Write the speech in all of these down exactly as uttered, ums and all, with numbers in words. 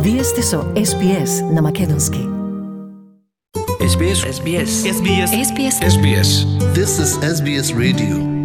Вие сте со Ес Би Ес на македонски. Ес Би Ес. Ес Би Ес. Ес Би Ес. Ес Би Ес. Ес Би Ес. This is Ес Би Ес Radio.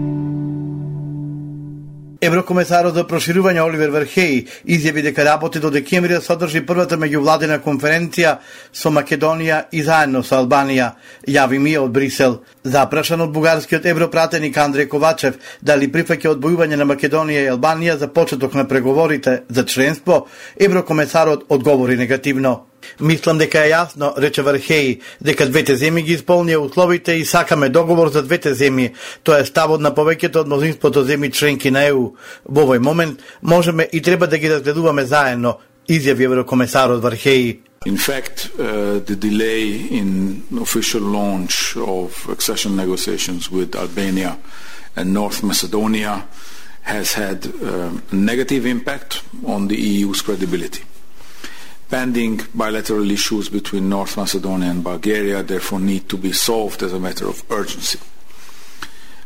Еврокомесарот за проширување Оливер Вархеј изјави дека работи до декември да содржи првата меѓувладина конференција со Македонија и заедно со Албанија, јави ми од Брисел. Запрашан од бугарскиот европратеник Андреј Ковачев дали прифаќа одбојување на Македонија и Албанија за почеток на преговорите за членство, еврокомесарот одговори негативно. Мислам дека е јасно, рече Вархеј, дека двете земји ги исполнија условите и сакаме договор за двете земји. Тоа е ставот на повеќето од мнозинството земји членки на Е У. Во овој момент можеме и треба да ги разгледуваме заедно, изјави еврокомесарот Вархеј. In fact, uh, the delay in official launch of accession negotiations with Albania and North Macedonia has had uh, a negative impact on the E U's credibility. Pending bilateral issues between North Macedonia and Bulgaria therefore need to be solved as a matter of urgency.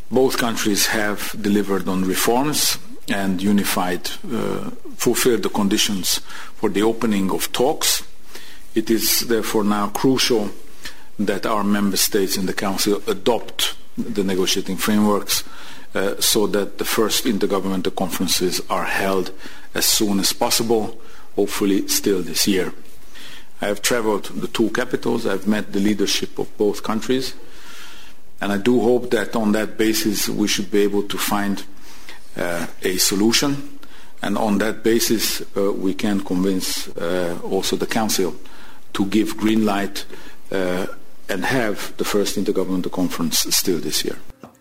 Both countries have delivered on reforms and unified, uh, fulfilled the conditions for the opening of talks. It is therefore now crucial that our member states in the Council adopt the negotiating frameworks uh, so that the first intergovernmental conferences are held as soon as possible, hopefully still this year. I have traveled the two capitals, I have met the leadership of both countries, and I do hope that on that basis we should be able to find uh, a solution, and on that basis uh, we can convince uh, also the Council to give green light uh, and have the first intergovernmental conference still this year.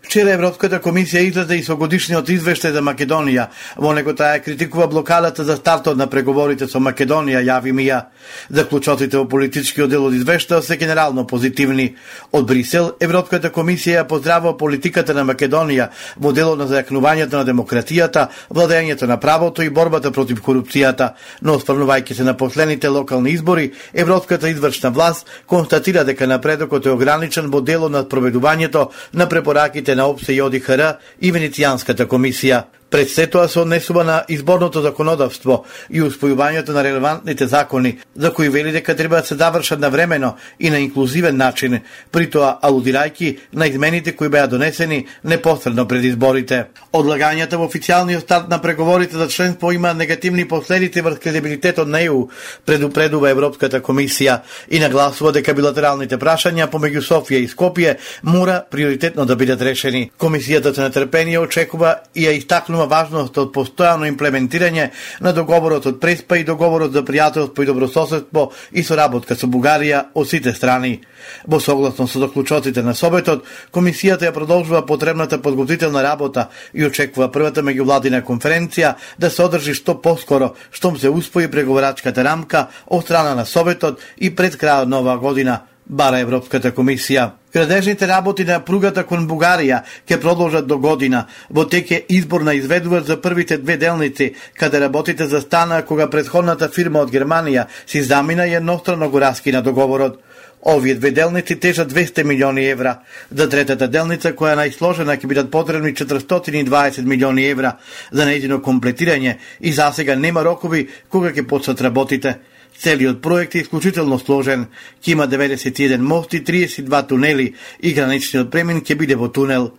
Вчера Европската комисија излезе и со годишниот извештај за Македонија. Во него таа критикува блокадата за стартот на преговорите со Македонија, јави Мија. Заклучоците во политичкиот дел од извештајот се генерално позитивни. Од Брисел, Европската комисија ја поздравува политиката на Македонија во делот на зајакнувањето на демократијата, владењето на правото и борбата против корупцијата. Но осврнувајќи се на последните локални избори, Европската извршна власт констатира дека напредокот е ограничен во делот на спроведувањето на препораките на ОПСЕ и О Ди Ха Р и Венецијанската комисија. Пред се тоа се однесува на изборното законодавство и успојувањето на релевантните закони, за кои вели дека треба да се завршат навремено и на инклузивен начин, при тоа алудирајќи на измените кои беа донесени непосредно пред изборите. Одлагањата во официјалниот старт на преговорите за членство има негативни последици врз кредибилитетот на Е У, предупредува Европската комисија и нагласува дека билатералните прашања помеѓу Софија и Скопје мора приоритетно да бидат решени. Комисијата со нетрпение очекува и ја истакнува важност од постојано имплементирање на договорот од Преспа и договорот за пријателство и добрососедство и соработка со Бугарија од сите страни. Во согласно со заклучоците на Советот, комисијата ја продолжува потребната подготвителна работа и очекува првата меѓувладина конференција да се одржи што поскоро, штом се успои преговорачката рамка од страна на Советот и пред крајот на оваа година, бара Европската комисија. Градежните работи на пругата кон Бугарија ќе продолжат до година. Во тек е избор на изведувач за првите две делници, каде работите застана кога претходната фирма од Германија си замина и еднострано го раскина договорот. Овие две делници тежат двесте милиони евра. За третата делница, која е најсложена, ќе бидат потребни четиристотини и дваесет милиони евра за нејзино комплетирање и засега нема рокови кога ќе почнат работите. Целиот проект е исклучително сложен, ќе има деветдесет и еден мости, триесет и два тунели и граничниот премин ќе биде во тунел.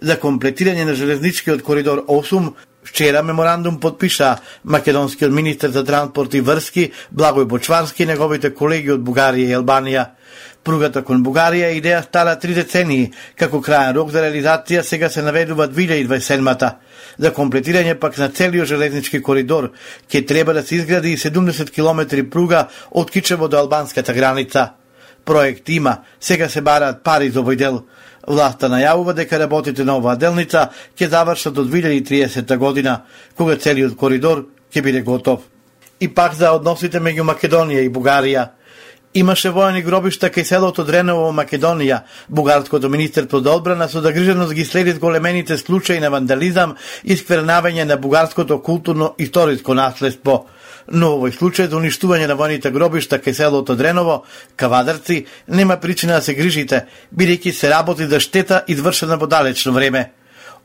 За комплетирање на железничкиот коридор осум, вчера меморандум подпиша македонскиот министер за транспорт и врски Благој Бочварски и неговите колеги од Бугарија и Албанија. Пругата кон Бугарија е идеја стара три децении, како крајен рок за реализација сега се наведува две илјади и дваесет и седма. За комплетирање пак на целиот железнички коридор ќе треба да се изгради и седумдесет километри пруга од Кичево до албанската граница. Проект има, сега се бараат пари за овој дел. Власта најавува дека работите на оваа делница ќе завршат до две илјади и триесета година, кога целиот коридор ќе биде готов. И пак за односите меѓу Македонија и Бугарија. Имаше воени гробишта кај селото Дреново во Македонија. Бугарското министерство за одбрана со загриженост ги следи големените случаи на вандализам и сквернавање на бугарското културно-историско наследство. Но овој случај за уништување на војните гробишта кај селото Дреново, Кавадарци, нема причина да се грижите, бидејќи се работи за штета извршена во далечно време.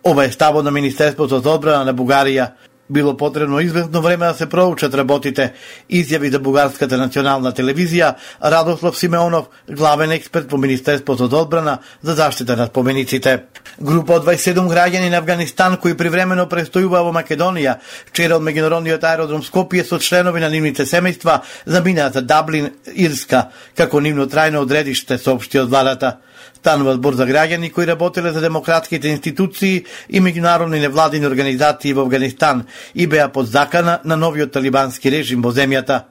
Ова е ставот на Министерството за одбрана на Бугарија. било потребно известно време да се проучат работите, изјави за Бугарската национална телевизија Радослав Симеонов, главен експерт по Министерството за одбрана за заштита на спомениците. Група од дваесет и седум граѓани на Авганистан кои привремено престојуваа во Македонија, вчера од меѓународниот аеродром Скопје со членови на нивните семејства заминаа за Даблин, Ирска, како нивно трајно одредиште, соопшти од владата. Станува збор за граѓани кои работеле за демократските институции и меѓународни невладини организации во Авганистан и беа под закана на новиот талибански режим во земјата.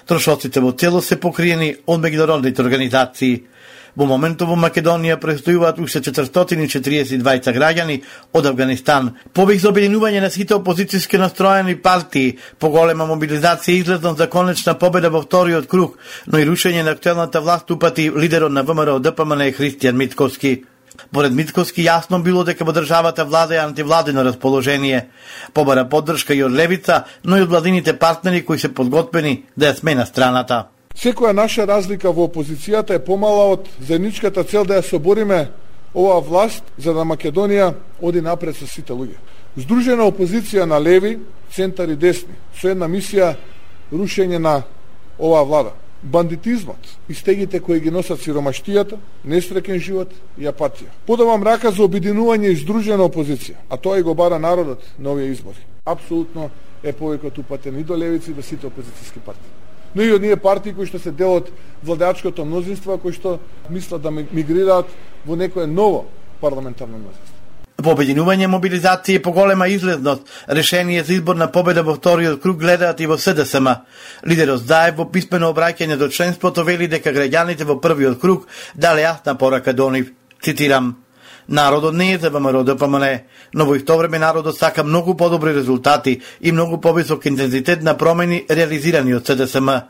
Трошоците во цело се покриени од меѓународните организации. Во моментов во Македонија престојуваат уште четиристотини и четириесет и двајца граѓани од Авганистан. Повеќе за обединување на сите опозицијски настроени партии, поголема мобилизација и излезност за конечна победа во вториот круг, но и рушење на актуелната власт упати лидерот на ВМРО Д П М Н Христијан Мицковски. Поред Мицковски јасно било дека во државата влада е антивладино расположение. Побара поддршка и од левица, но и од владините партнери кои се подготвени да ја смена страната. Секоја наша разлика во опозицијата е помала од заедничката цел да ја собориме оваа власт за да Македонија оди напред со сите луѓе. Здружена опозиција на леви, центар и десни, со една мисија рушење на оваа влада. Бандитизмот и стегите кои ги носат сиромаштијата, несреќен живот и апатија. Подавам рака за обединување и здружена опозиција, а тоа и го бара народот на овие избори. Апсолутно е повеќе упатен и до левици и до сите опозицијски партии. Но и од ние партии кои што се дел од владеачкото мнозинство, кои што мислат да мигрираат во некое ново парламентарно мнозинство. По обединување, мобилизација и поголема излезност, решение за избор на победа во вториот круг гледаат и во С Д С М. Лидерот Заев во писмено обраќање до членството вели дека граѓаните во првиот круг дале јасна порака до нив. Цитирам: Народот не е за ВМРО Д П М Н, но во исто време народот сака многу подобри резултати и многу повисок интензитет на промени реализирани од С Д С М.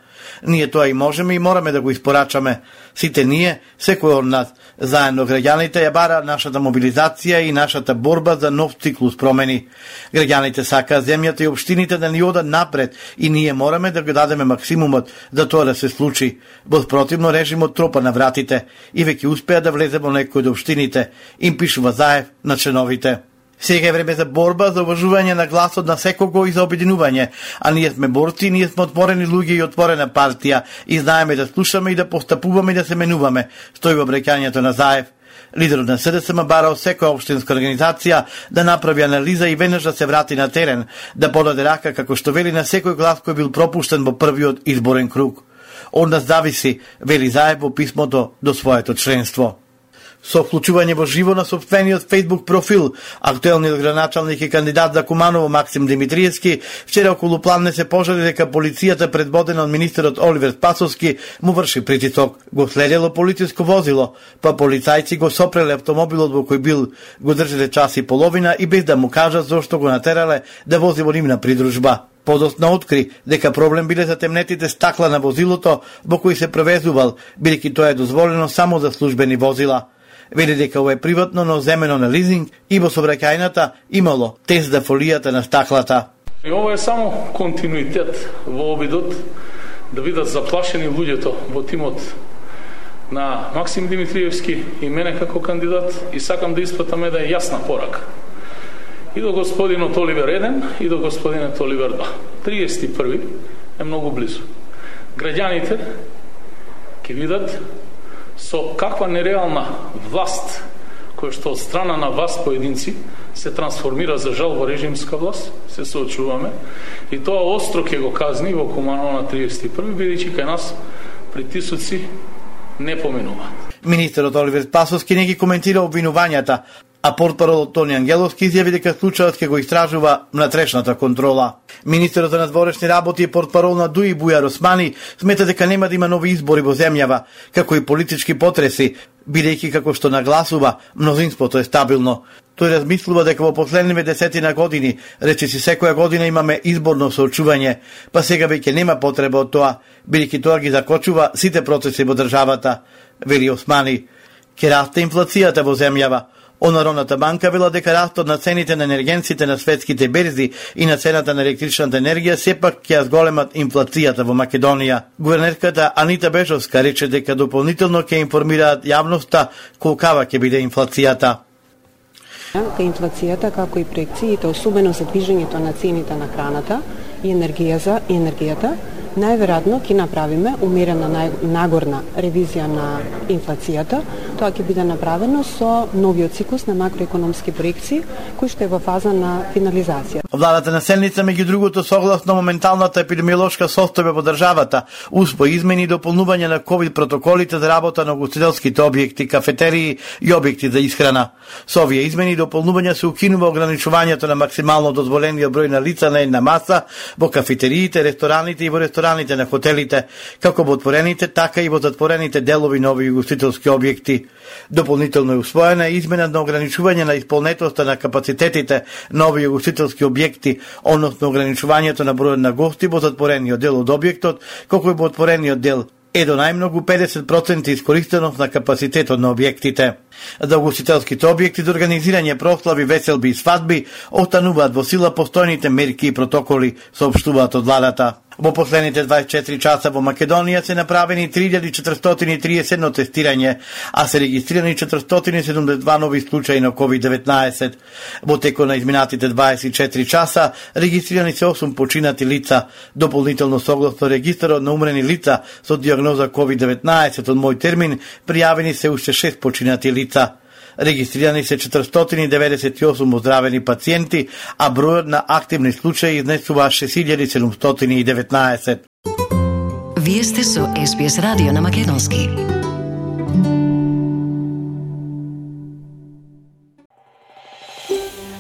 Ние тоа и можеме и мораме да го испорачаме. Сите ние, секој од нас, заедно граѓаните ја бара нашата мобилизација и нашата борба за нов циклус промени. Граѓаните сакаат земјата и општините да ни одат напред и ние мораме да го дадеме максимумот за тоа да се случи. Во спротивно режимот тропа на вратите и веќе успеа да влезе во некој од општините, им пишува Заев на членовите. Сега е време за борба, за уважување на гласот на секого и за обединување, а ние сме борци, ние сме отворени луѓе и отворена партија и знаеме да слушаме и да постапуваме и да се менуваме, стои во обраќањето на Заев. Лидерот на С Д С М бара од секоја општинска организација да направи анализа и веднаш да се врати на терен, да подаде рака како што вели на секој глас кој бил пропуштен во првиот изборен круг. Од нас зависи, вели Заев во писмото до своето членство. Со вклучување во живо на собствениот Facebook профил, актуелниот градоначалник и кандидат за Куманово Максим Димитриевски вчера околу пладне се пожали дека полицијата предводена од министерот Оливер Спасовски му врши притисок. Го следело полициско возило, па полицајци го сопреле автомобилот во кој бил, го држеле час и половина и без да му кажат зошто го натерале да вози во нивна придружба. Подоцна откри дека проблем биле затемнетите стакла на возилото во кој се превезувал, бидејќи тоа е дозволено само за службени возила. Вели дека ова е приватно, но земено на лизинг и во сообраќајната имало тест за фолијата на стаклата. И ова е само континуитет во обидот да бидат заплашени луѓето во тимот на Максим Димитриевски и мене како кандидат и сакам да испратам една јасна порака. И до господинот Оливер еден и до господинот Оливер два. триесет и први е многу близу. Граѓаните ќе видат со каква нереална власт, која што од страна на вас поединци се трансформира за жал во режимска власт, се соочуваме, и тоа остро ќе го казни во Куманово на триесет и први, бидејќи кај нас притисоци не поминуваат. Министерот Оливер Спасовски не ги коментира обвинувањата, а портпаролот Тони Ангеловски изјави дека случајот ќе го истражува внатрешната контрола. Министерот за надворешни работи и портпарол на ДУИ Бујар Османи смета дека нема да има нови избори во земјава, како и политички потреси, бидејќи како што нагласува, мнозинството е стабилно. Тој размислува дека во последниве десетина години, речиси секоја година имаме изборно соочување, па сега веќе нема потреба од тоа, бидејќи тоа ги закочува сите процеси во државата, вели Османи. Ке расте инфлацијата во земјава. Народната банка вела дека растот на цените на енергенците на светските берзи и на цената на електричната енергија сепак ќе ја зголемат инфлацијата во Македонија. Гувернерката Анита Бежовска рече дека дополнително ќе информираат јавноста колкава ќе биде инфлацијата. Кај инфлацијата, како и проекциите, особено за движењето на цените на храната и енергија и енергијата, најверојатно ќе направиме умерена нагорна ревизија на инфлацијата. Тоа ќе биде направено со новиот циклус на макроекономски проекции, кој што е во фаза на финализација. Владата на седница, меѓу другото, согласно моменталната епидемиолошка состојба во државата, успо измени и дополнување на ковид протоколите за работа на угостителските објекти, кафетерии и објекти за исхрана. Со овие измени и дополнувања се укинува ограничувањето на максимално дозволениот број на лица на една маса во кафетериите, рестораните и во рестораните на хотелите, како во отворените, така и во затворените делови на овие угостителски објекти. Дополнително е усвоена измена на ограничување на исполнетоста на капацитетите на овие угостителски објекти, односно ограничувањето на бројот на гости во затворениот дел од објектот, како и во отворениот дел е до најмногу педесет проценти искористеност на капацитетот на објектите. За угостителските објекти за организирање прослави, веселби и свадби остануваат во сила постојните мерки и протоколи, соопштуваат од владата. Во последните дваесет и четири часа во Македонија се направени три илјади четиристотини и триесет и едно тестирање, а се регистрирани четиристотини и седумдесет и два нови случаи на ковид деветнаесет. Во текот на изминатите дваесет и четири часа регистрирани се осум починати лица. Дополнително, согласно регистарот на умрени лица со диагноза ковид деветнаесет од мој термин, пријавени се уште шест починати лица. Регистрирани се четиристотини и деветдесет и осум оздравени пациенти, а бројот на активни случаи изнесува шест илјади седумстотини и деветнаесет. Вие сте со Ес Би Ес радио на македонски.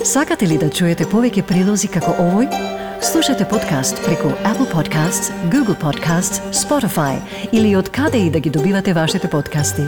Сакате ли да чуете повеќе прилози како овој? Слушате подкаст преку Apple Podcasts, Google Podcasts, Spotify или од каде и да ги добивате вашите подкасти.